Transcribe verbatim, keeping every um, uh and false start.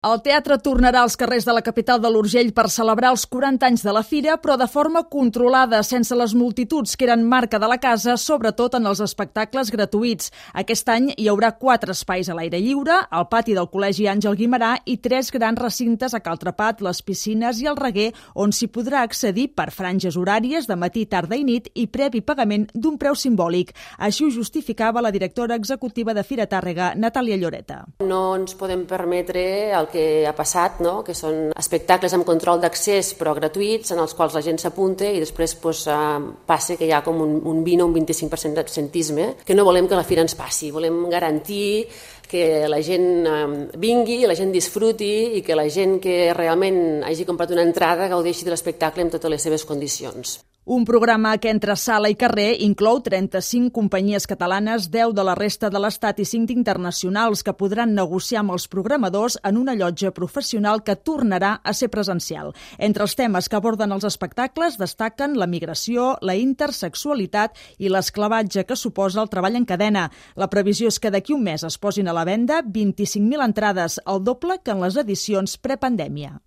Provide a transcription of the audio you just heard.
El teatre tornarà als carrers de la capital de l'Urgell per celebrar els quaranta anys de la fira, però de forma controlada, sense les multituds que eren marca de la casa, sobretot en els espectacles gratuïts. Aquest any hi haurà quatre espais a l'aire lliure, el pati del Col·legi Àngel Guimerà i tres grans recintes a Cal Trepat, les piscines i el Reguer, on s'hi podrà accedir per franges horàries de matí, tarda i nit i previ pagament d'un preu simbòlic. Així ho justificava la directora executiva de Fira Tàrrega, Natàlia Lloreta. No ens podem permetre el que ha passat, no? Que són espectacles amb control d'accés però gratuïts, en els quals la gent s'apunta i després pues, uh, passa que hi ha com un, un vint o un vint-i-cinc per cent d'absentisme, que no volem que la fira ens passi. Volem garantir que la gent um, vingui, la gent disfruti i que la gent que realment hagi comprat una entrada gaudeixi de l'espectacle amb totes les seves condicions. Un programa que entre sala i carrer inclou trenta-cinc companyies catalanes, deu de la resta de l'Estat i cinc internacionals que podran negociar amb els programadors en una llotja professional que tornarà a ser presencial. Entre els temes que aborden els espectacles destaquen la migració, la intersexualitat i l'esclavatge que suposa el treball en cadena. La previsió és que d'aquí un mes es posin a la venda vint-i-cinc mil entrades, el doble que en les edicions prepandèmia.